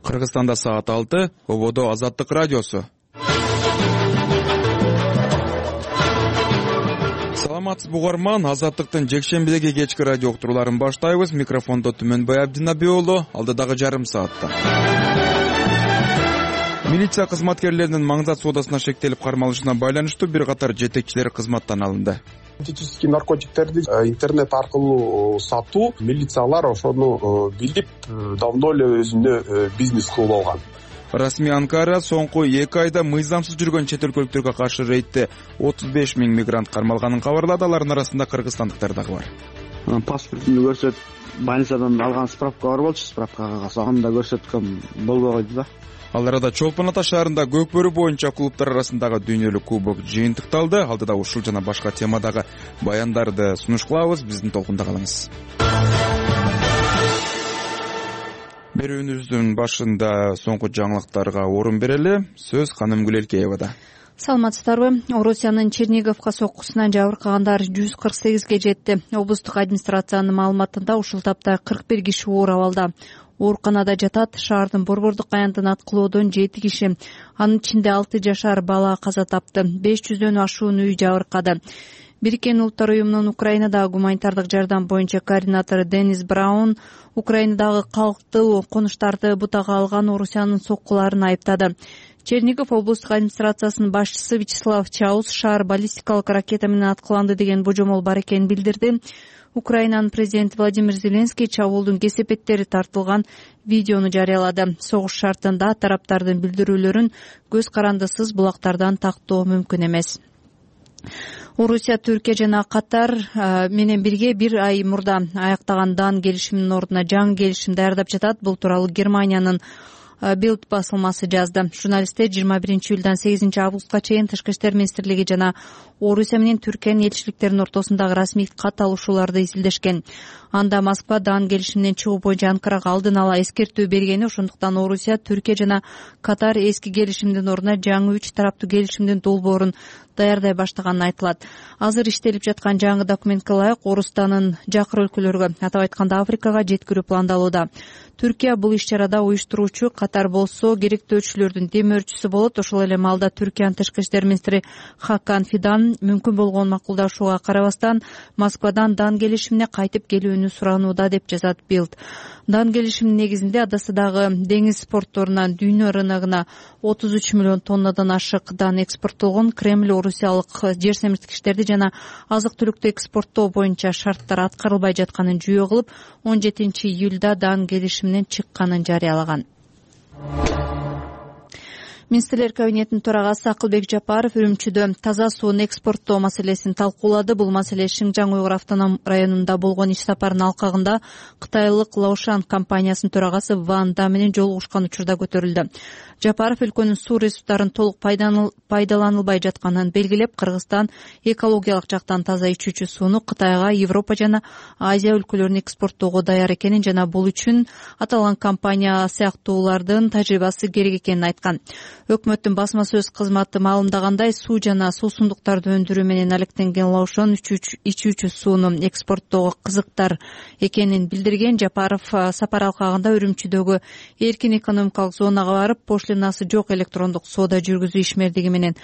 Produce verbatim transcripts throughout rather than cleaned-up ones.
Кыргызстанда саат алты, ободо Азаттык радиосу. Саламатсызбы угарман, Азаттыктын жекшембидеги кечки радио уктурууларын баштайбыз. Микрофондо Түмөнбай Абдинаби уулу, алдыдагы жарым саатта. Милиция кызматкерлеринин Маңзат соодасына шектелип кармалышына байланыштуу бир катар жетекчилер кызматтан алынды. Синтетический наркотиктерди интернет аркылуу сатуу, милициялар ошону билип, давно эле өзүнө бизнес кылып алган. Расмий Анкара соңку эки айда мыйзамсыз жүргөн чет өлкөлүктөргө каршы рейдте отуз беш миң мигрант кармалганын кабарлады. Алардын арасында кыргызстандыктар дагы бар. Паспортун көрсөтүп, больницадан алган справка бар болчу, справка кагаз анда көрсөткөм болбой койду да. Ал арада Чолпон Ата шаарында көкбөрү боюнча клубтар арасындагы дүйнөлүк кубок жыйынтыкталды. Алдыда ушул жана башка темадагы баяндарды сунуш кылабыз. Биздин толкунда калыңыз. Берүүбүздүн башында соңку жаңылыктарга орун берели. Сөз Ханым Гүлелкеевада. Саламатсыздарбы? Орусиянын Черниговка соккусунан жабыркагандар жүз кырк сегизге жетти. Облустук администрациянын маалыматында ушул тапта кырк бир киши оор абалда. Ооруканада жатат. Шаардын Борбордук аянтын аткылоодон жети киши, анын ичинде алты жашар бала каза тапты. беш жүздөн ашуун үй жабыркады. Бириккен Улуттар уюмунун Украинадагы гуманитардык жардам боюнча координатору Денис Браун Украинадагы калктуу конуштарды бутага алган Орусиянын соккуларын айыптады. Чернигов облустук администрациясынын башчысы Вячеслав Чаус шаар баллистикалык ракета менен аткыланды деген божомол бар экенин билдирди. Украинанын президенти Владимир Зеленский чабуулдун кесепеттери тартылган видеону жарыялады. Согуш шартында тараптардын билдирүүлөрүн көз карандысыз булактардан тактоо мүмкүн эмес. Орусия, Түркия жана Катар менен бирге бир ай мурда аяктаган дан келишиминин ордуна жаңы келишим даярдап жатат. Бул тууралуу Германиянын Билд басылмасы жазды. Журналисттер жыйырма биринчи июлдан сегизинчи августка чейин Тышкы иштер министрлиги жана Орусия менен Түркиянын элчиликтеринин ортосундагы расмий кат алышууларды изилдешкен. Анда Москва дан келишиминен чыгуу боюнча Анкарага алдын ала эскертүү бергени, ошондуктан Орусия, Түркия жана Катар эски келишимдин ордуна жаңы үч тараптуу келишимдин долбоорун даярдай баштаганын айтылат. Азыр иштелип жаткан жаңы документке ылайык Орусстанын жакыр өлкөлөргө, атап айтканда Африкага жеткирүү пландалууда. Түркия бул иш-чарада уюштуруучу, Катар болсо керектөөчүлөрдүн демөөрчүсү болот. Ошол эле маалда Түркиянын тышкы иштер министри Хакан Фидан мүмкүн болгон макулдашууга карабастан Москвадан дан келишимине кайтып келүүнү суранууда деп жазат Билд. Дан келишиминин негизинде Адасыдагы деңиз портторунан дүйнө рыногуна отуз үч миллион тоннадан ашык дан экспорттолгон. Кремль орусиялык жер семирткичтерди жана азык-түлүктү экспорттоо боюнча шарттар аткарылбай жатканын жүйө кылып, он жетинчи июлда дан келишиминен чыкканын жарыялаган. Министрлер кабинетинин төрагасы Акылбек Жапаров Үрүмчүдө таза сууну экспорттоо маселесин талкуулады. Бул маселе Шинжаң Уйгур автоном районунда болгон иш сапарынын алкагында кытайлык Лаушан компаниясынын төрагасы Ван Да менен жолугушкан учурда көтөрүлдү. Жапаров өлкөнүн суу ресурстарынын толук пайдаланылбай жатканын белгилеп, Кыргызстан экологиялык жактан таза ичүүчү сууну Кытайга, Европа жана Азия өлкөлөрүнө экспорттоого даяр экенин жана бул үчүн аталган компания сыяктуулардын тажрыйбасы керек экенин айткан. Өкмөттүн басма сөз кызматы маалымдагандай, суу жана суусундуктарды өндүрүү менен алектенген Лаушан ичүүчү сууну экспорттоого кызыктар экенин билдирген. Жапаров сапар алкагында Үрүмчүдөгү эркин экономикалык зонага барып, пошлинасы жок электрондук соода жүргүзүү ишмердиги менен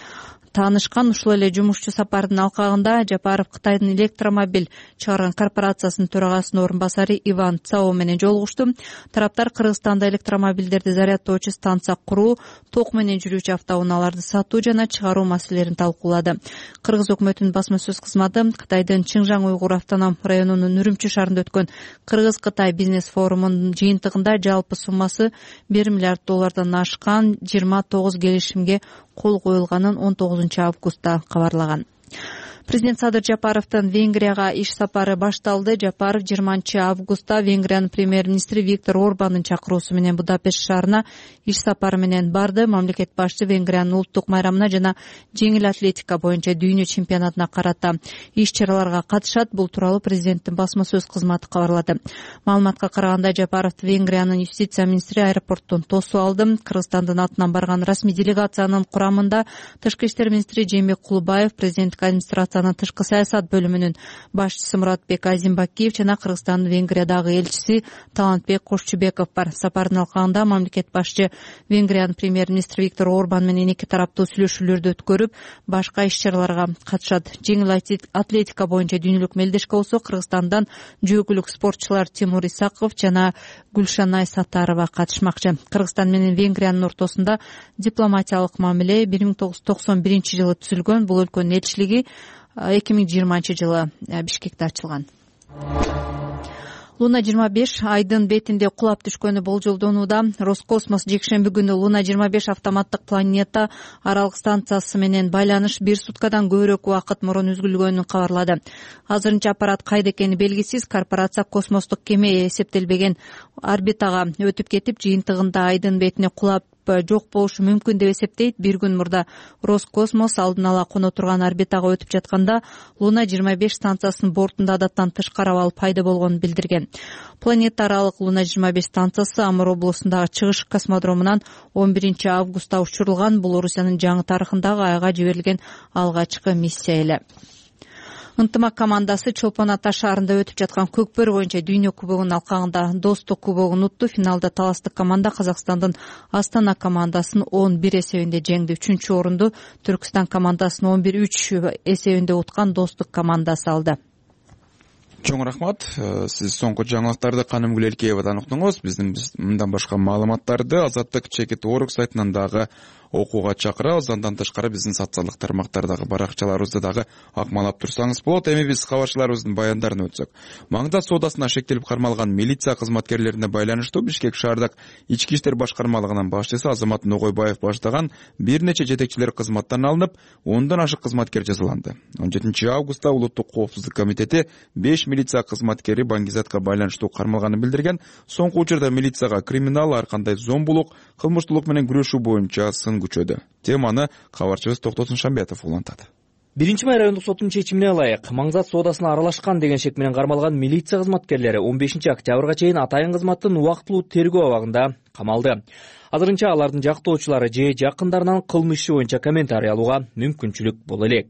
таанышкан. Ушул эле жумушчу сапардын алкагында Жапаров Кытайдын электромобиль чыгарган корпорациясынын төрагасынын орун басары Иван Цао менен жолугушту. Тараптар Кыргызстанда электромобилдерди зарядтоочу станция куруу, ток менен жүрүүчү автоунааларды сатуу жана чыгаруу маселелерин талкуулады. Кыргыз өкмөтүнүн басма сөз кызматы Кытайдын Шинжаң Уйгур автоном районунун Үрүмчү шаарында өткөн Кыргыз-Кытай бизнес форумунун жыйынтыгында жалпы суммасы бир миллиард доллардан ашкан жыйырма тогуз келишимге кол коюлганын он тогузунчу августта кабарлаган. Президент Садыр Жапаровдун Венгрияга иш сапары башталды. Жапаров жыйырманчы августта Венгриянын премьер-министри Виктор Орбандын чакыруусу менен Будапешт шаарына иш сапары менен барды. Мамлекет башчы Венгриянын улуттук майрамына жана жеңил атлетика боюнча дүйнө чемпионатына карата иш-чараларга катышат. Бул тууралуу президенттин басма сөз кызматы кабарлады. Маалыматка караганда, Жапаров Венгриянын юстиция министри аэропорттон тосуп алды. Кыргызстандын атынан барган расмий делегациянын курамында тышкы иштер министри Жээнбек Кулубаев, президенттик администрация администрациянын тышкы саясат бөлүмүнүн башчысы Муратбек Азимбакиев жана Кыргызстандын Венгриядагы элчиси Талантбек Кошчубеков бар. Сапардын алкагында мамлекет башчы Венгриянын премьер-министри Виктор Орбан менен эки тараптуу сүйлөшүүлөрдү өткөрүп, башка иш-чараларга катышат. Жеңил атлетика боюнча дүйнөлүк мелдешке болсо Кыргызстандан жөөкүлүк спортчулар Тимур Исаков жана Гүлшанай Саттарова катышмакчы. Кыргызстан менен Венгриянын ортосунда дипломатиялык мамиле бир миң тогуз жүз токсон биринчи жылы түзүлгөн. Бул өлкөнүн элчилиги эки миң жыйырманчы жылы Бишкекте ачылган. Луна жыйырма беш айдын бетинде кулап түшкөнү болжолдонууда. Роскосмос жекшемби күнү Луна жыйырма беш автоматтык планета аралык станциясы менен байланыш бир суткадан көбүрөөк убакыт мурун үзүлгөнүн кабарлады. Азырынча аппарат кайда экени белгисиз. Корпорация космостук кеме эсептелбеген орбитага өтүп кетип, жыйынтыгында айдын бетине кулап жок болушу мүмкүн деп эсептейт. Бир күн мурда Роскосмос алдын ала коно турган орбитага өтүп жатканда Луна жыйырма беш станциясынын бортунда адаттан тышкары абал пайда болгонун билдирген. Планета аралык Луна жыйырма беш станциясы Амур облусундагы чыгыш космодромунан он биринчи августта учурулган. Бул Орусиянын жаңы тарыхындагы айга жиберилген алгачкы миссия эле. Ынтымак командасы Чолпон Ата шаарында өтүп жаткан көкбөрү боюнча дүйнө кубогунун алкагында Достук кубогун утту. Финалда таластык команда Казакстандын Астана командасын он бир эсебинде жеңди. Үчүнчү орунду Түркстан командасын он бир үч эсебинде уткан Достук командасы алды. Чоң рахмат. Сиз соңку жаңылыктарды Канымгүл Элкеевадан уктуңуз. Биздин мындан башка маалыматтарды Азаттык чекит орг сайтынан дагы окууга чакырабыз. Андан тышкары биздин социалдык тармактардагы баракчаларыбызды дагы акмалап турсаңыз болот. Эми биз кабарчыларыбыздын баяндарын өтсөк. Маңда соодасына шектелип кармалган милиция кызматкерлерине байланыштуу Бишкек шаардык ички иштер башкармалыгынын башчысы Азамат Ногойбаев баштаган бир нече жетекчилер кызматтан алынып, ондон ашык кызматкер жазаланды. он жетинчи августта Улуттук коопсуздук комитети беш милиция кызматкери Баңгизатка байланыштуу кармалганын билдирген. Соңку учурда милицияга криминал, ар кандай зомбулук, кылмыштуулук менен күрөшүү боюнча сын күчөдү. Теманы кабарчыбыз Токтосун Шамбетов улантат. Биринчи май райондук соттун чечимине ылайык Маңзат соодасына аралашкан деген шек менен кармалган милиция кызматкерлери он бешинчи октябрга чейин атайын кызматтын убактылуу тергөө абагында камалды. Азырынча алардын жактоочулары же жакындарынан кылмыш иши боюнча комментарий алууга мүмкүнчүлүк боло элек.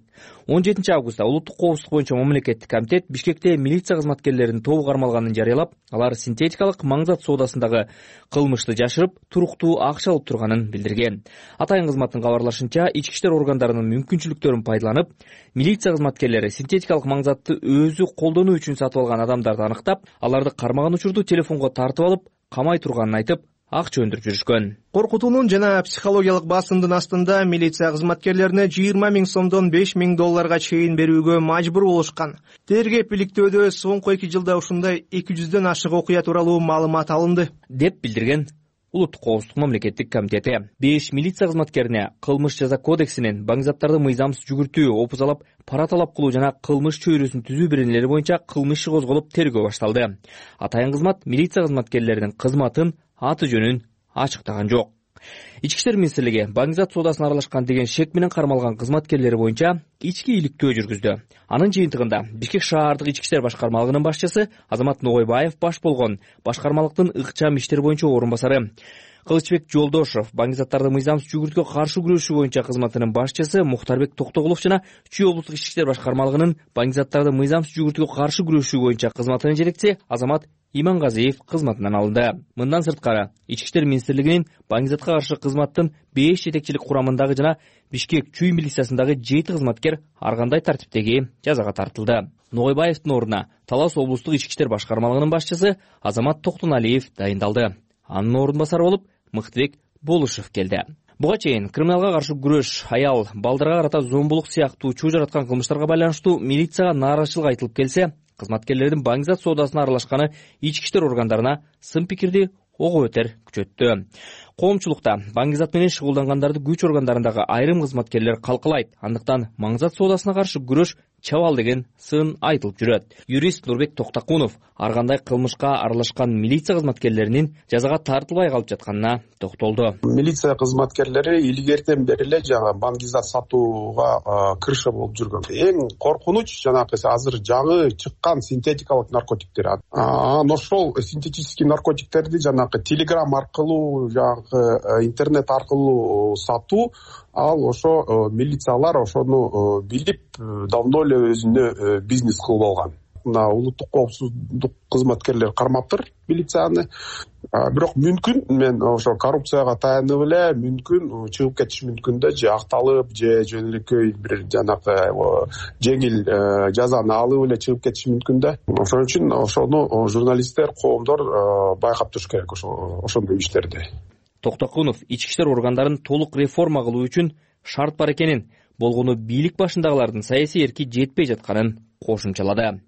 он жетинчи августта Улуттук коопсуздук боюнча мамлекеттик комитет Бишкекте милиция кызматкерлеринин тобу кармалганын жарыялап, алар синтетикалык Маңзат соодасындагы кылмышты жашырып, туруктуу акча алып турганын билдирген. Атайын кызматтын кабарлашынча, ички иштер органдарынын мүмкүнчүлүктөрүн пайдаланып, милиция кызматкерлери синтетикалык Маңзатты өзү колдонуу үчүн сатып алган адамдарды аныктап, аларды кармаган учурду телефонго тартып алып, камай турганын айтып, акча өндүрүп жүрүшкөн. Коркутуунун жана психологиялык басымдын астында милиция кызматкерлерине жыйырма миң сомдон беш миң долларга чейин берүүгө мажбур болушкан. Тергеп иликтөөдө соңку эки жылда ушундай эки жүздөн ашык окуя тууралуу маалымат алынды, деп билдирген Улуттук коопсуздук мамлекеттик комитети. беш милиция кызматкерине кылмыш жаза кодексинин Баңгизаттарды мыйзамсыз жүгүртүү, опузалап, пара талап кылуу жана кылмыш чөйрөсүн түзүү беренелери боюнча кылмыш иши козголуп тергөө башталды. Атайын кызмат милиция кызматкерлеринин кызматын, аты жөнүн ачыктаган жок. Ички иштер министрлиги Баңгизат соодасына аралашкан деген шек менен кармалган кызматкерлери боюнча ички иликтөө жүргүздү. Анын жыйынтыгында Бишкек шаардык ички иштер башкармалыгынын башчысы Азамат Ногойбаев баш болгон башкармалыктын ыкчам иштер боюнча орун басары, Кылычбек Жолдошов Баңгизаттарды мыйзамсыз жүгүртүүгө каршы күрөшүү боюнча кызматынын башчысы, Мухтарбек Токтогулов жана Чүй облустук ички иштер башкармалыгынын Баңгизаттарды мыйзамсыз жүгүртүүгө каршы күрөшүү боюнча кызматынын жетекчиси Азамат Имангазиев кызматынан алынды. Мындан сырткары, ички иштер министрлигинин Баңгизатка каршы кызматтын беш жетекчилик курамындагы жана Бишкек Чүй милициясындагы жети кызматкер ар кандай тартиптеги жазага тартылды. Ногойбаевдин ордуна Талас облустук ички иштер башкармалыгынын башчысы Азамат Токтоналиев дайындалды. Анын орун басары болуп Мыктыбек Болушев келди. Буга чейин криминалга каршы күрөш, аял, балдарга карата зомбулук сыяктуу чуу жараткан кылмыштарга байланыштуу милицияга нааразычылык айтылып келсе, кызматкерлердин Баңгизат соодасына аралашканы ички иштер органдарына сын пикирди ого бетер күчөттү. Коомчулукта Баңгизат менен шугулдангандарды күч органдарындагы айрым кызматкерлер калкалайт. Андыктан Маңзат соодасына каршы күрөш чабал деген сын айтылып жүрөт. Юрист Нурбек Токтакунов ар кандай кылмышка аралашкан милиция кызматкерлеринин жазага тартылбай калып жатканына токтолду. Милиция кызматкерлери илгертен бери эле жаңы Баңгизат сатууга кырыша болуп жүргөн. Эң коркунуч жанагы азыр жаңы чыккан синтетикалык наркотиктер. Анан ошол синтетический наркотиктерди жанагы телеграм аркылуу, жанагы интернет аркылуу сатуу ал ошо милициялар ошону билип давно эле өзүнө бизнес кылып алган. Мына улуттук коопсуздук кызматкерлери кармаптыр милицияны. Бирок мүмкүн мен ошо коррупцияга таянып эле мүмкүн чыгып кетиш мүмкүн да, же акталып, же жөнөкөй бир жанагы жеңил жазаны алып эле чыгып кетиш мүмкүн да. Ошон үчүн ошону журналисттер, коомдор байкап туруш керек ошондой иштерди. Токтокунов ички иштер органдарын толук реформа кылуу үчүн шарт бар экенин, болгону бийлик башындагылардын саясий эрки жетпей жатканын кошумчалады.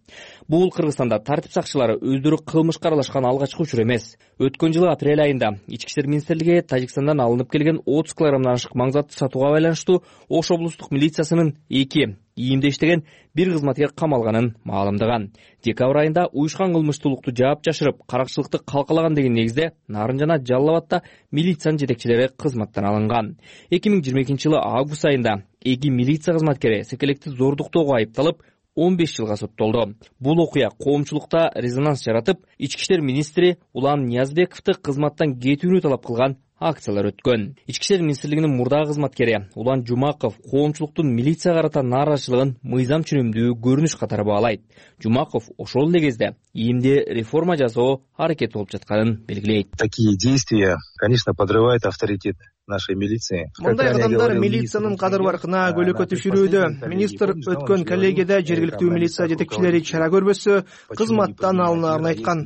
Бул Кыргызстанда тартип сакчылары өздөрү кылмышка аралашкан алгачкы учур эмес. Өткөн жылы апрель айында ички иштер министрлиги Тажикстандан алынып келген отуз килограммдан ашык маңзатты сатууга байланыштуу Ош облустук милициясынын эки ийимде иштеген бир кызматкер камалганын маалымдаган. Декабрь айында уюшкан кылмыштуулукту жаап жашырып, каракчылыкты калкалаган деген негизде Нарын жана Жалал Абадта милициянын жетекчилери кызматтан алынган. эки миң жыйырма экинчи жылы август айында эки милиция кызматкери секелекти зордуктоого айыпталып он беш жылга соттолду. Бул окуя коомчулукта резонанс жаратып, ички иштер министри Улан Ниязбековду кызматтан кетүүнү талап кылган акциялар өткөн. Ички иштер министрлигинин мурдагы кызматкери Улан Жумаков коомчулуктун милиция карата нааразычылыгын мыйзам чүнүмдүү көрүнүш катары баалайт. Жумаков ошол эле кезде ийимде реформа жасоо аракети болуп жатканын белгилейт. Такие действия, конечно, подрывают авторитет нашей милиции. Мындай кадамдар милициянын кадыр баркына көлөкө түшүрүүдө. Министр өткөн коллегияда жергиликтүү милиция жетекчилери чара көрбөсө кызматтан алынаарын айткан.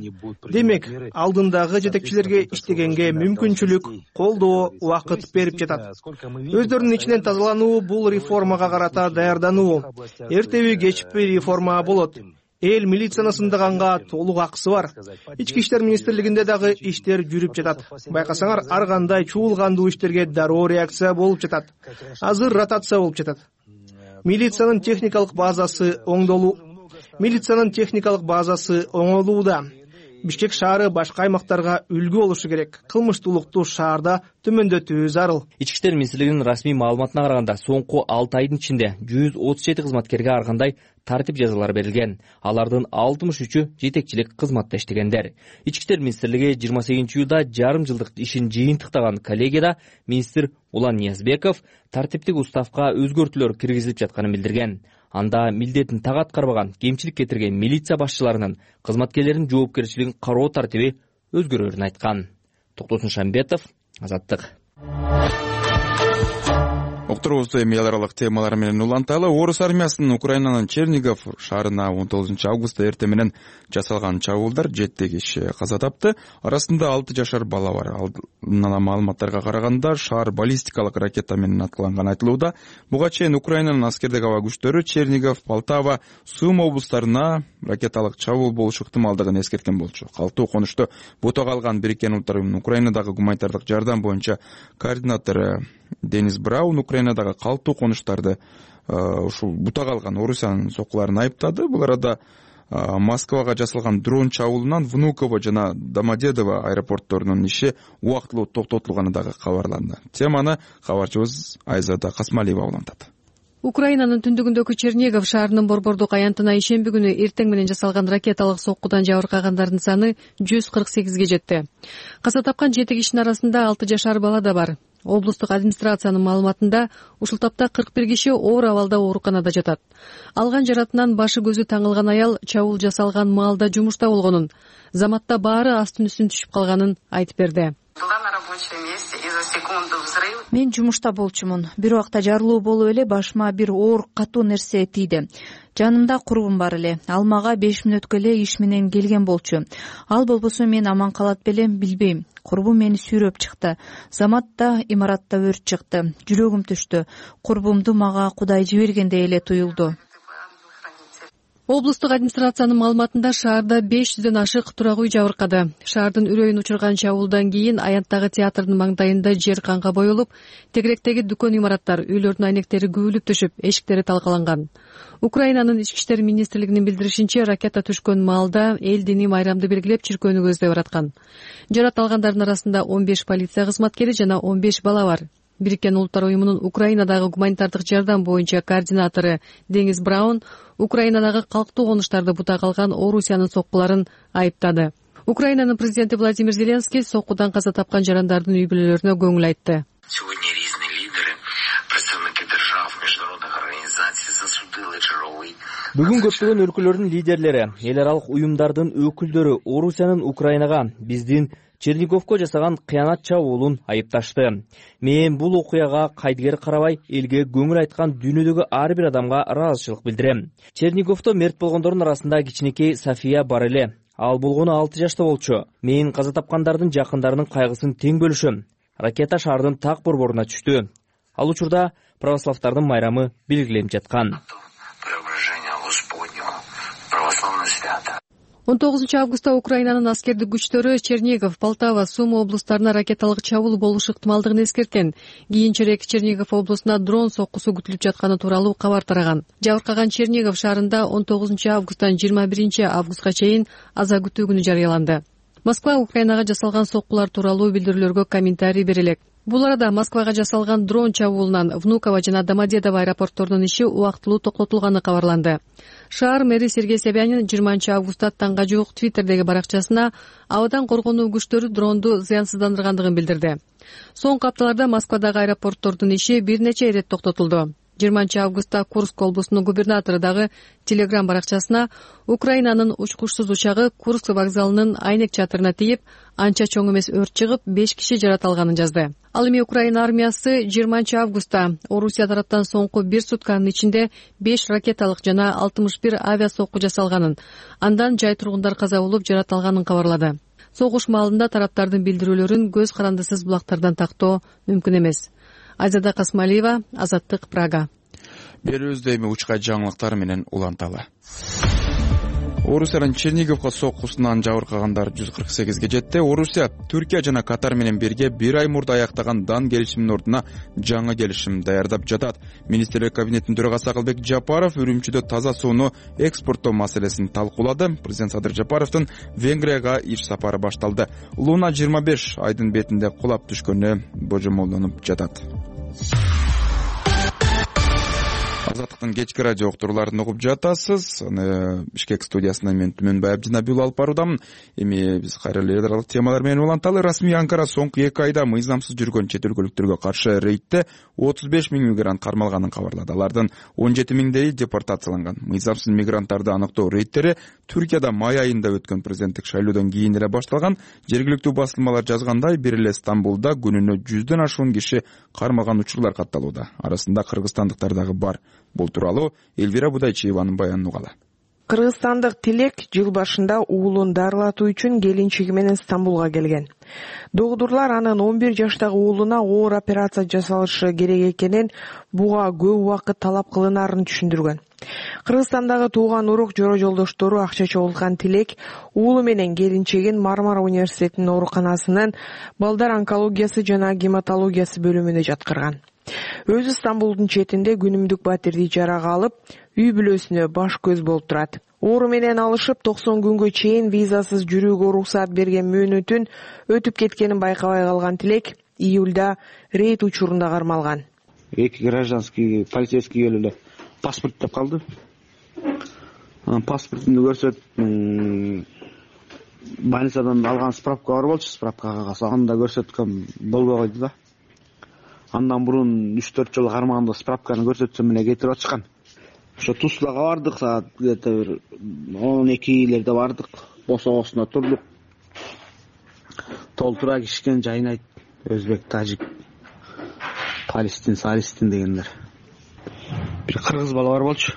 Демек, алдындагы жетекчилерге иштегенге мүмкүнчүлүк, колдоо, убакыт берип жатат. Өздөрүнүн ичинен тазалануу бул реформага карата даярдануу. Эртеби кечпи реформа болот. Эл милицияны сындаганга толук акысы бар. Ички иштер министрлигинде дагы иштер жүрүп жатат. Байкасаңар, ар кандай чуулгандуу иштерге дароо реакция болуп жатат. Азыр ротация болуп жатат. Милициянын техникалык базасы оңдолуу. Милициянын техникалык базасы оңолууда. Бишкек шаары башка аймактарга үлгү болушу керек. Кылмыштуулукту шаарда төмөндөтүү зарыл. Ички иштер министрлигинин расмий маалыматына караганда, соңку алты айдын ичинде жүз отуз жети кызматкерге ар кандай тартип жазалары берилген. Алардын алтымыш үчү жетекчилик кызматта иштегендер. Ички иштер министрлиги жыйырма сегизинчи июлда жарым жылдык ишин жыйынтыктаган коллегияда министр Улан Ниязбеков тартиптик уставка өзгөртүүлөр киргизилип жатканын билдирген. Анда милдетин так аткарбаган, кемчилик кетирген милиция башчыларынын кызматкерлердин жоопкерчилигин кароо тартиби өзгөрөрүн айткан. Токтосун Шамбетов, Азаттык. Уктурубузду эми эл аралык темалар менен уланталы. Орус армиясынын Украинанын Чернигов шаарына он тогузунчу августта эртең менен жасалган чабуулдар жети киши каза тапты. Арасында алты жашар бала бар. Алдын маалыматтарга караганда шаар баллистикалык ракета менен аткыланган айтылууда. Буга чейин Украинанын аскердик аба күчтөрү Чернигов, Полтава, Сум облустарына ракеталык чабуул болушу ыктымалдыгын эскерткен болчу. Калктуу конушту бута калган Бириккен Улуттар уюмунун Украинадагы гуманитардык жардам боюнча координатору Денис Браун Украинадагы калктуу конуштарды ушул бута калган Орусиянын соккуларын айыптады. Бул арада Москвага жасалган дрон чабуулунан Внуково жана Домодедово аэропортторунун иши убактылуу токтотулганы дагы кабарланды. Теманы кабарчыбыз Айзада Касмалиева улантат. Украинанын түндүгүндөгү Чернигов шаарынын борбордук аянтына ишемби күнү эртең менен жасалган ракеталык соккудан жабыркагандардын саны жүз кырк сегизге жетти. Каза тапкан жети кишинин арасында алты жашар бала да бар. Облустук администрациянын маалыматында ушул тапта кырк бир киши оор абалда ооруканада жатат. Алган жаратынан башы көзү таңылган аял чабуул жасалган маалда жумушта болгонун, заматта баары астын үстүн түшүп калганын айтып берди. Мен жумушта болчумун. Бир убакта жарылуу болуп эле башыма бир оор катуу нерсе тийди. Жанымда курбум бар эле. Ал мага беш мүнөткө эле иш менен келген болчу. Ал болбосо мен аман калат белем, билбейм. Курбум мени сүйрөп чыкты. Заматта, имаратта өрт чыкты. Жүрөгүм түштү. Курбумду мага Кудай жибергендей эле туюлду. Облустук администрациянын маалыматында шаарда беш жүздөн ашык турак үй жабыркады. Шаардын үрөйүн учурган чабуулдан кийин аянттагы театрдын маңдайында жер канга боелуп, тегеректеги дүкөн имараттар, үйлөрдүн айнектери күбүлүп түшүп, эшиктери талкаланган. Украинанын ички иштер министрлигинин билдиришинче, ракета түшкөн маалда эл дини майрамды белгилеп чиркөөнү көздөй бараткан. Жарат алгандардын арасында он беш полиция кызматкери жана он беш бала бар. Бириккен Улуттар уюмунун Украинадагы гуманитардык жардам боюнча координатору Денис Браун Украинадагы калктуу конуштарды бута калган Орусиянын соккуларын айыптады. Украинанын президенти Владимир Зеленский соккудан каза тапкан жарандардын үй бүлөлөрүнө көңүл айтты. Бүгүн көптөгөн өлкөлөрдүн лидерлери, эл аралык уюмдардын өкүлдөрү Орусиянын Украинага биздин Черниговко жасаган кыянат чабуулун айыпташты. Мен бул окуяга кайдыгер карабай, элге көңүл айткан дүйнөдөгү ар бир адамга ыраазычылык билдирем. Черниговто мерт болгондордун арасында кичинекей София бар эле. Ал болгону алты жашта болчу. Мен каза тапкандардын жакындарынын кайгысын тең бөлүшөм. Ракета шаардын так борборуна түштү. Ал учурда православдардын майрамы белгиленип жаткан. он тогузунчу августта Украинанын аскердик күчтөрү Чернигов, Полтава, Сума облустарына ракеталык чабуул болушу ыктымалдыгын эскерткен. Кийинчерээк Чернигов облусуна дрон соккусу күтүлүп жатканы тууралуу кабар тараган. Жабыркаган Чернигов шаарында он тогузунчу августтан жыйырма биринчи августка чейин аза күтүү күнү жарыяланды. Москва Украинага жасалган соккулар тууралуу билдирүүлөргө комментарий бере элек. Бул арада Москвага жасалган дрон чабуулунан Внуково жана Домодедово аэропортторунун иши убактылуу токтотулганы кабарланды. Шаар мэри Сергей Собянин жыйырманчы августта таңга жуук Твиттердеги баракчасына абадан коргонуу күчтөрү дронду зыянсыздандыргандыгын билдирди. Соңку апталарда Москвадагы аэропорттордун иши бир нече ирет токтотулду. жыйырманчы августта Курск облусунун губернатору дагы Телеграм баракчасына Украинанын учкучсуз учагы Курск вокзалынын айнек чатырына тийип, анча чоң эмес өрт чыгып, беш киши жараталганын жазды. Ал эми Украина армиясы жыйырманчы августта Орусия тараптан соңку бир сутканын ичинде беш ракеталык жана алтымыш бир авиасокку жасалганын, андан жай тургундар каза болуп жараталганын кабарлады. Согуш маалында тараптардын билдирүүлөрүн көз карандысыз булактардан тактоо мүмкүн эмес. Айзада Касмалиева, Азаттык, Прага. Берүүбүздө эми учкай жаңылыктар менен уланталы. Орусиянын Черниговко соккусунан жабыркагандар жүз кырк сегизге жетти. Орусия Түркия жана Катар менен бирге бир ай мурда аяктаган дан келишимдин ордуна жаңы келишим даярдап жатат. Министрлер кабинетинин төрагасы Акылбек Жапаров Үрүмчүдө таза сууну экспорттоо маселесин талкуулады. Президент Садыр Жапаровдун Венгрияга иш сапары башталды. Луна жыйырма беш айдын бетинде кулап түшкөнү божомолдонуп жатат. Азаттыктын кечки радио уктурууларын угуп жатасыз. Бишкек студиясынан мен Түмөнбай Абдинабиул алып баруудамын. Эми биз кайра эле эл аралык темалар менен уланталы. Расмий Анкара соңку эки айда мыйзамсыз жүргөн чет өлкөлүктөргө каршы рейдте отуз беш миң мигрант кармалганын кабарлады. Алардын он жети миңдери депортацияланган. Мыйзамсыз мигранттарды аныктоо рейдтери Түркияда май айында өткөн президенттик шайлоодон кийин эле башталган. Жергиликтүү басылмалар жазгандай, бир эле Стамбулда күнүнө жүздөн ашуун киши кармалган учурлар катталууда. Арасында кыргызстандыктар дагы бар. Бул тууралуу Элвира Будайчиеванын баянын угалы. Кыргызстандык Тилек жыл башында уулун дарылатуу үчүн келинчиги менен Стамбулга келген. Догдурлар анын он бир жаштагы уулуна оор операция жасалышы керек экенин, буга көп убакыт талап кылынарын түшүндүргөн. Кыргызстандагы тууган урук жора жолдоштору акча чогулткан Тилек уулу менен келинчегин Мармара университетинин ооруканасынын балдар онкологиясы жана гематологиясы бөлүмүнө жаткырган. Өзү Стамбулдун четинде күнүмдүк батирди ижарага алып, үй бүлөсүнө баш көз болуп турат. Оору менен алышып токсон күнгө чейин визасыз жүрүүгө уруксаат берген мөөнөтүн өтүп кеткенин байкабай калган Тилек июлда рейд учурунда кармалган. Эки гражданский полицейский келип эле паспорт деп калды. Паспортумду көрсөттүм. Больницадан алган справка бар болчу, справка кагаз. Анда көрсөткөм болбой койду да. Андан мурун үч төрт жолу кармаганда справканы көрсөтсөм эле кетирип атышкан. Ошо Туслага бардык, саат где-то бир он экилерде бардык. Босогосуна турдук. Толтура кишкен жайнайт. Өзбек, тажик, палестин, салистин дегендер. Бир кыргыз бала бар болчу.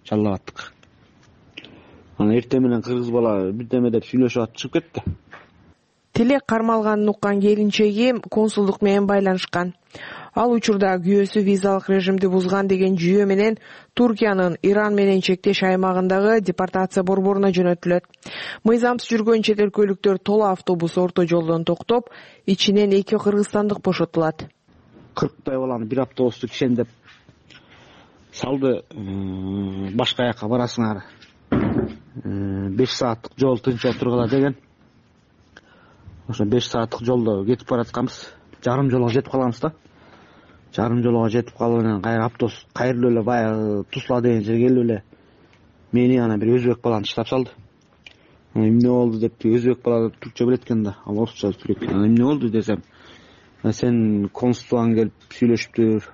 Жаллап аттык. Аны эртең менен кыргыз бала бирдеме деп сүйлөшүп атып чыгып кетти. Тилек кармалганын уккан келинчеги консулдук менен байланышкан. Ал учурда күйөөсү визалык режимди бузган деген жүйө менен Туркиянын Иран менен чектеш аймагындагы депортация борборуна жөнөтүлөт. Мыйзамсыз жүргөн чет өлкөлүктөр тола автобус орто жолдон токтоп, ичинен эки кыргызстандык бошотулат. кырктай баланы бир автобусту кишендеп салды. Башка жака барасыңар. беш сааттык жол тынч отургула деген. Ошо беш сааттык жолдо кетип баратканбыз. Жарым жолго жетип калганбыз да. Жарым жолго жетип калып анан кайра автобус кайрылып эле баягы Тусла деген жерге келип эле мени анан бир өзбек баланы таштап салды. Эмне болду деп, өзбек бала түркчө билет экен да, ал орусча сүйлөйт. Эмне болду десем, сен консулдан келип сүйлөшүптүр.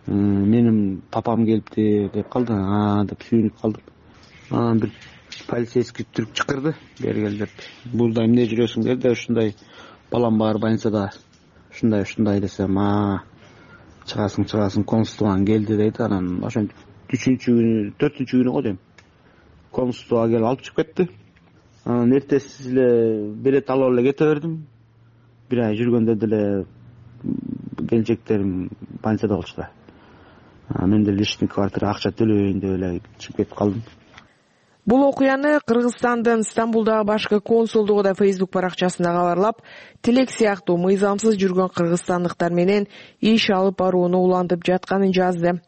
менин папам келипти деп калды. А деп сүйүнүп калдым. Анан бир полицейский түрк чакырды. Бери кел деп. Бул да эмне жүрөсүң деди. Ушундай балам бар больницада. Ушундай ушундай десем, а чыгасың чыгасың консулдан келди дейт. Анан ошентип үчүнчү күнү, төртүнчү күнү го дейм. Консулга келип алып чыгып кетти. Анан эртеси эле билет алып эле кете бердим. Бир ай жүргөндө деле келинчектерим больницада болчу да. Мен деле личный квартира акча төлөбөйүн деп эле чыгып кетип калдым. Бул окуяны Кыргызстандын Стамбулдагы башкы консулдугу да Facebook баракчасында кабарлап, тилек сыяктуу мыйзамсыз жүргөн кыргызстандыктар менен иш алып барууну улантып жатканын жазды.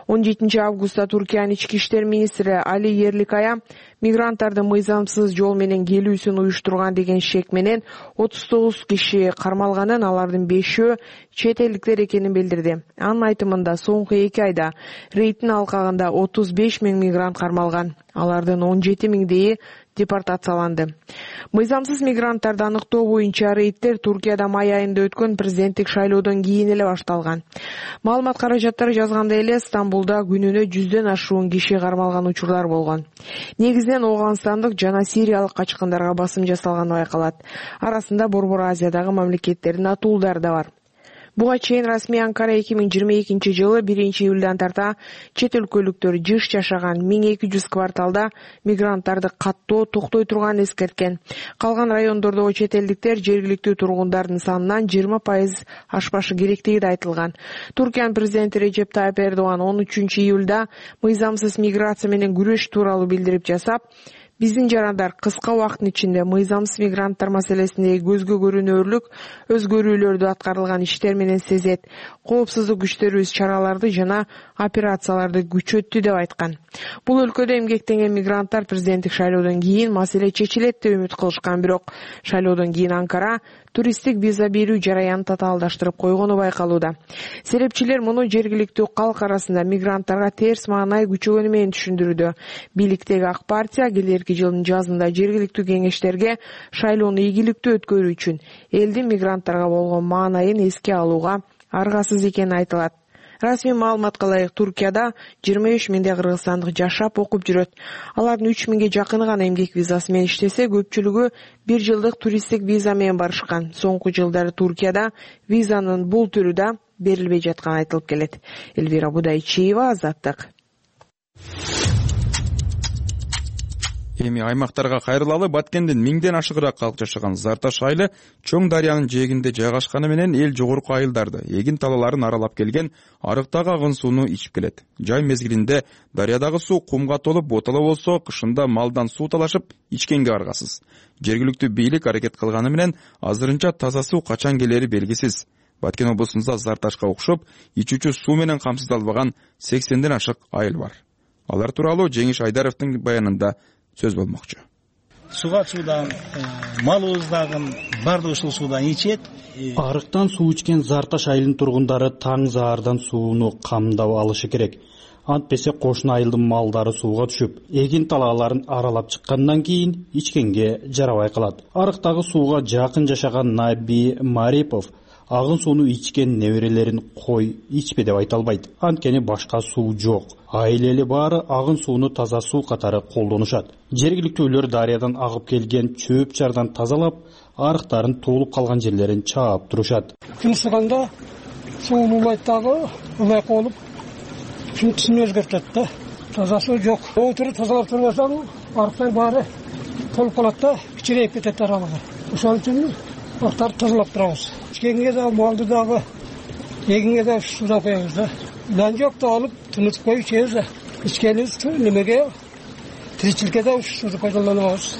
он жетинчи августта Туркиянын ички иштер министри Али Ерликая мигранттардын мыйзамсыз жол менен келүүсүн уюштурган деген шек менен отуз тогуз киши кармалганын, алардын бешөө чет элдиктер экенин билдирди. Анын айтымында соңку эки айда рейдтин алкагында отуз беш миң мигрант кармалган. Алардын он жети миңдейи депортацияланды. Мыйзамсыз мигранттарды аныктоо боюнча рейдтер Туркияда май айында өткөн президенттик шайлоодон кийин эле башталган. Маалымат каражаттары жазгандай эле Стамбулда күнүнө жүздөн ашуун киши кармалган учурлар болгон. Негизинен Ооганстандык жана Сириялык качкындарга басым жасалганы байкалат. Арасында Борбор Азиядагы мамлекеттердин атуулдары да бар. Буга чейин расмий Анкара эки миң жыйырма экинчи жылы биринчи июлдан тарта чет өлкөлүктөр жыш жашаган миң эки жүз кварталда мигранттарды каттоо токтой турганын эскерткен. Калган райондордогу чет элдиктер жергиликтүү тургундардын санынан жыйырма пайыз ашпашы керектиги да айтылган. Туркиянын президенти Режеп Тайып Эрдоган он үчүнчү июлда мыйзамсыз миграция менен күрөш тууралуу билдирип жасап, биздин жарандар кыска убакыттын ичинде мыйзамсыз мигранттар маселесиндеги көзгө көрүнөрлүк өзгөрүүлөрдү аткарылган иштер менен сезет. Коопсуздук күчтөрүбүз чараларды жана операцияларды күчөттү деп айткан. Бул өлкөдө эмгектенген мигранттар президенттик шайлоодон кийин маселе чечилет деп үмүт кылышкан, бирок шайлоодон кийин Анкара туристтик виза берүү жараянын татаалдаштырып койгону байкалууда. Серепчилер муну жергиликтүү калк арасында мигранттарга терс маанай күчөгөнү менен түшүндүрүүдө. Бийликтеги ак партия келерки жылдын жазында жергиликтүү кеңештерге шайлоону ийгиликтүү өткөрүү үчүн элдин мигранттарга болгон маанайын эске алууга аргасыз экени айтылат. Расмий маалыматка ылайык Туркияда жыйырма үч миңдей кыргызстандык жашап окуп жүрөт. Алардын үч миңге жакыны гана эмгек визасы менен иштесе, көпчүлүгү бир жылдык туристтик виза менен барышкан. Соңку жылдары Туркияда визанын бул түрү да берилбей жатканы айтылып келет. Элвира Будайчиева, Азаттык. Эми аймактарга кайрылалы. Баткендин миңден ашыгыраак калк жашаган Зарташ айылы чоң дарыянын жээгинде жайгашканы менен эл жогорку айылдарды, эгин талааларын аралап келген арыктагы агын сууну ичип келет. Жай мезгилинде дарыядагы суу кумга толуп ботало болсо, кышында малдан суу талашып ичкенге аргасыз. Жергиликтүү бийлик аракет кылганы менен азырынча таза суу качан келери белгисиз. Баткен облусунда Зарташка окшоп ичүүчү суу менен камсыздалбаган сексенден ашык айыл бар. Алар тууралуу Жеңиш Айдаровдун баянында сөз болмокчу. Суга суудан, малыбыз дагы баардыгы ушул суудан ичет. Арыктан суу ичкен Зарташ айылынын тургундары таң заардан сууну камдап алышы керек. Антпесе кошуна айылдын малдары сууга түшүп, эгин талааларын аралап чыккандан кийин ичкенге жарабай калат. Арыктагы сууга жакын жашаган Наби Марипов агын сууну ичкен неберелерин кой ичпе деп айта албайт. Анткени башка суу жок. Айыл эли баары агын сууну таза суу катары колдонушат. Жергиликтүүлөр дарыядан агып келген чөп чардан тазалап, арыктарын туулуп калган жерлерин чаап турушат. Күн ысыганда суу улайт дагы, улай колуп, түсүн өзгөртөт да. Таза суу жок. Отуруп тазалап турбасаң, арыктар баары толуп калат да, кичирейип кетет аралыгы. Ошол үчүн арыктарды тазалап турабыз. Ичкенге дагы, малды дагы, эгинге дагы суудан коебуз да. Лан жок да алып, тынытып коюп ичебиз да. Ичкенибиз немеге, тиричиликке да ушу сууну пайдаланабыз.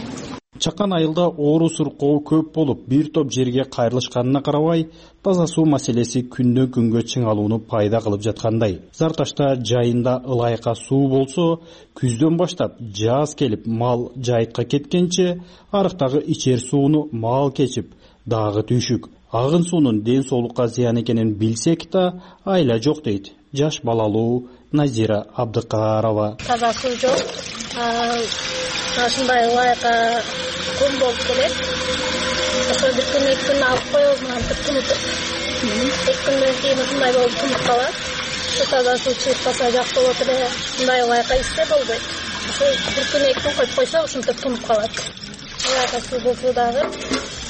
Чакан айылда оору суркоо көп болуп, бир топ жерге кайрылышканына карабай, таза суу маселеси күндөн күнгө чыңалууну пайда кылып жаткандай. Зарташта жайында ылайыка суу болсо, күздөн баштап жаз келип мал жайытка кеткенче арыктагы ичер сууну мал кечип дагы түйшүк. Агын суунун ден соолукка зыян экенин билсек да, айла жок дейт жаш балалуу Назира Абдыкарова. Таза суу жок. Ушундай ылайыка кум болуп келет. Ошо бир күн эки күн алып коебуз, антип тынытып. Эки күндөн кийин ушундай болуп тынып калат. таза суу чыгып калса жакшы болот эле. Мындай байкайсызда болбойт. Ошо бир күн эки күн коюп койсо ушинтип тунуп калат. Байка суу болсо дагы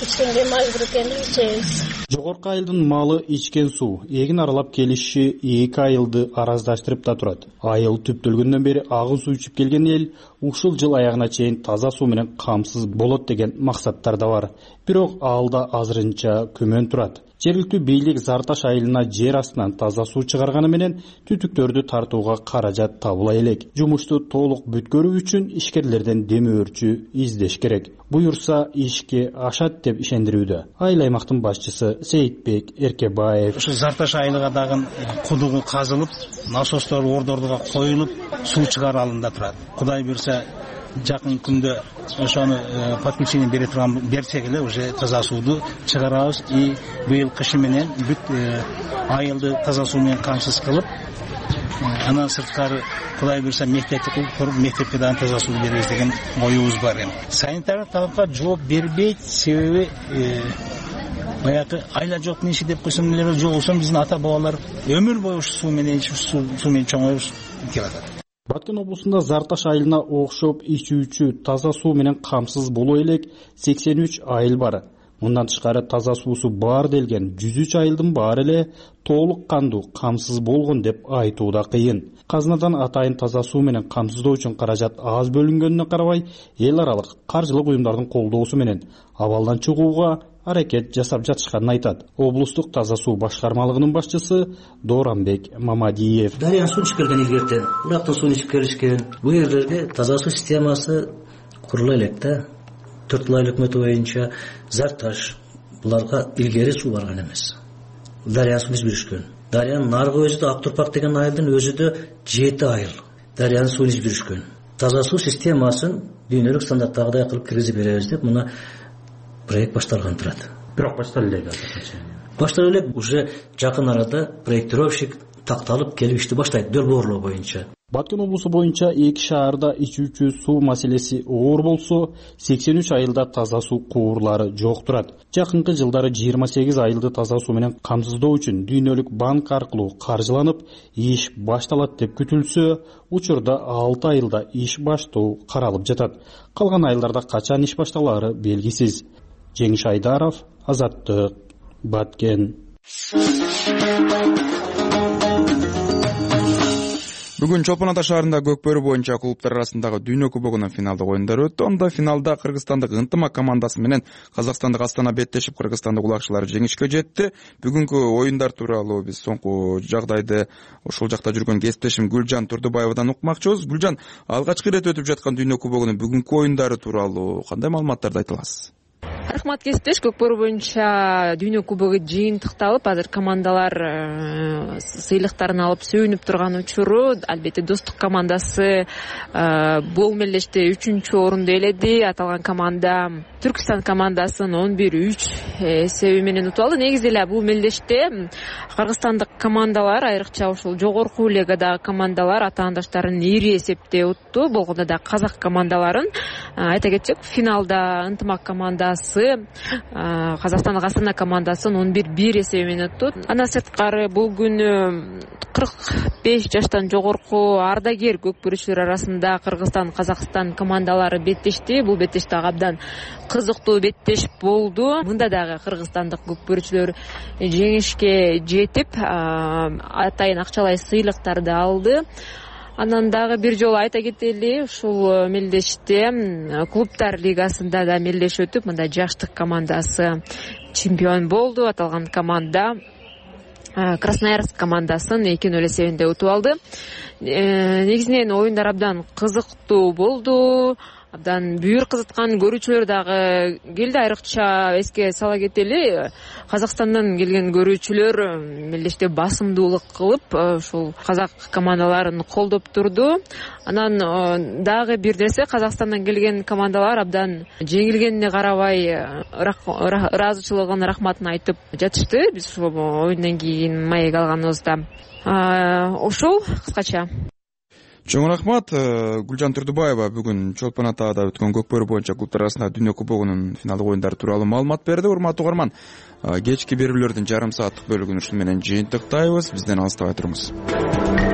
ичкенге мажбур экенбиз, ичебиз. Жогорку айылдын малы ичкен суу эгин аралап келиши эки айылды араздаштырып да турат. Айыл түптөлгөндөн бери агын суу ичип келген эл ушул жыл аягына чейин таза суу менен камсыз болот деген максаттар да бар. Бирок алда азырынча күмөн турат. Жергиликтүү бийлик Зар Таш айылына жер астынан таза суу чыгарганы менен түтүктөрдү тартууга каражат табыла элек. Жумушту толук бүткөрүү үчүн ишкерлерден демөөрчү издеш керек. Буюрса ишке ашат деп ишендирүүдө айыл аймактын башчысы Сейитбек Эркебаев. Ушу Зар Таш айылга дагы кудугу казылып, насостор ордордуга коюлуп, суу чыгаруу алында турат. Кудай буйрса жакын күндө ошону подключение бере турган берсек эле уже таза сууду чыгарабыз. И быйыл кышы менен бүт айылды таза суу менен камсыз кылып, анан сырткары Кудай буйрса мектепти куруп, мектепке дагы таза суу беребиз деген оюбуз бар эми. Санитарлык талапка жооп бербейт, себеби баягы айла жок неши деп койсом эле жок болсо биздин ата бабалар өмүр бою ушу суу менен ичип, суу менен чоңоюп келатат. Баткен облусунда Зар Таш айылына окшоп ичүүчү таза суу менен камсыз боло элек сексен үч айыл бар. Мындан тышкары таза суусу бар делген жүз үч айылдын баары эле толук кандуу камсыз болгон деп айтуу да кыйын. Казынадан атайын таза суу менен камсыздоо үчүн каражат аз бөлүнгөнүнө карабай, эл аралык каржылык уюмдардын колдоосу менен абалдан чыгууга аракет жасап жатышканын айтат. Облустук таза суу башкармалыгынын башчысы Дорамбек Мамадиев. Дарыян суу ичип келген илгертен, урактын суун ичип келишкен. Бул жерлерге таза суу системасы курула элек да. төрт ай өкмөтү боюнча Зар Таш буларга илгери суу барган эмес. Дарыян суун ичип жүрүшкөн. Дарыянын наркы өзү да Актурпак деген айылдын өзү да жети айыл дарыянын суун ичип жүрүшкөн. Таза суу системасын дүйнөлүк стандарттагыдай кылып киргизип беребиз деп мына проект башталган турат. Бирок башталып элек азырынча. Башталып элек уже жакын арада проектировщик такталып келип ишти баштайт долбоорлоо боюнча. Баткен облусу боюнча эки шаарда ичүүчү суу маселеси оор болсо, сексен үч айылда таза суу куурлары жок турат. Жакынкы жылдары жыйырма сегиз айылды таза суу менен камсыздоо үчүн дүйнөлүк банк аркылуу каржыланып, иш башталат деп күтүлсө, учурда алты айылда иш баштоо каралып жатат. Калган айылдарда качан иш башталары белгисиз. Жеңиш Айдаров, Азаттык, Баткен. Бүгүн Чолпон Ата шаарында Көкбөрү боюнча клубтар арасындагы Дүйнө кубогунун финалдык оюндары өттү. Онда финалда кыргызстандык Ынтымак командасы менен казакстандык Астана беттешип, кыргызстандык улакчылар жеңишке жетти. Бүгүнкү оюндар тууралуу биз соңку жагдайды ошол жакта жүргөн кесиптешим Гүлжан Турдубаевадан укмакчыбыз. Гүлжан, алгачкы ирет өтүп жаткан Дүйнө кубогунун бүгүнкү оюндары тууралуу кандай маалыматтарды айта аласыз? Рахмат кесиптеш, Көкбөрү боюнча Дүйнө кубогу жыйынтыкталып, азыр командалар сыйлыктарын алып сүйүнүп турган учуру. Албетте Достук командасы бул мелдеште үчүнчү орунду ээледи. Аталган команда Түркстан командасын он бир үч эсеби менен утуп алды. Негизи эле бул мелдеште кыргызстандык командалар, айрыкча ушул жогорку лигадагы командалар атаандаштарын ири эсепте утту. Болгондо да казак командаларын айта кетсек, финалда Ынтымак командасы Казакстандык Астана командасын он бир бир эсеби менен утту. Андан сырткары бул күнү кырк беш жаштан жогорку ардагер көкбөрүчүлөр арасында Кыргызстан, Казакстан командалары беттешти. Бул беттеш дагы абдан кызыктуу беттеш болду. Мында дагы кыргызстандык көкбөрүчүлөр жеңишке жетип, атайын акчалай сыйлыктарды алды. Анан дагы бир жолу айта кетели, ушул мелдеште клубтар лигасында да мелдеш өтүп, мында жаштык командасы чемпион болду. Аталган команда Красноярск командасын эки нөл эсебинде утуп алды. Негизинен оюндар абдан кызыктуу болду. Абдан бүйүр кызыткан көрүүчүлөр дагы келди. Айрыкча эске сала кетели, Казакстандан келген көрүүчүлөр мелдеште басымдуулук кылып, ушул казак командаларын колдоп турду. Анан дагы бир нерсе, Казакстандан келген командалар абдан жеңилгенине карабай ыраазычылыгын, рахматын айтып жатышты. Биз ушул оюндан кийин маек алганыбызда ошол кыскача. Чоң рахмат. Гүлжан Турдубаева бүгүн Чолпон Атада өткөн көкбөрү боюнча клубтар арасындагы дүйнө кубогунун финалдык оюндары тууралуу маалымат берди. Урматтуу угарман, кечки берүүлөрдүн жарым сааттык бөлүгүн ушун менен жыйынтыктайбыз. Бизден алыстабай туруңуз.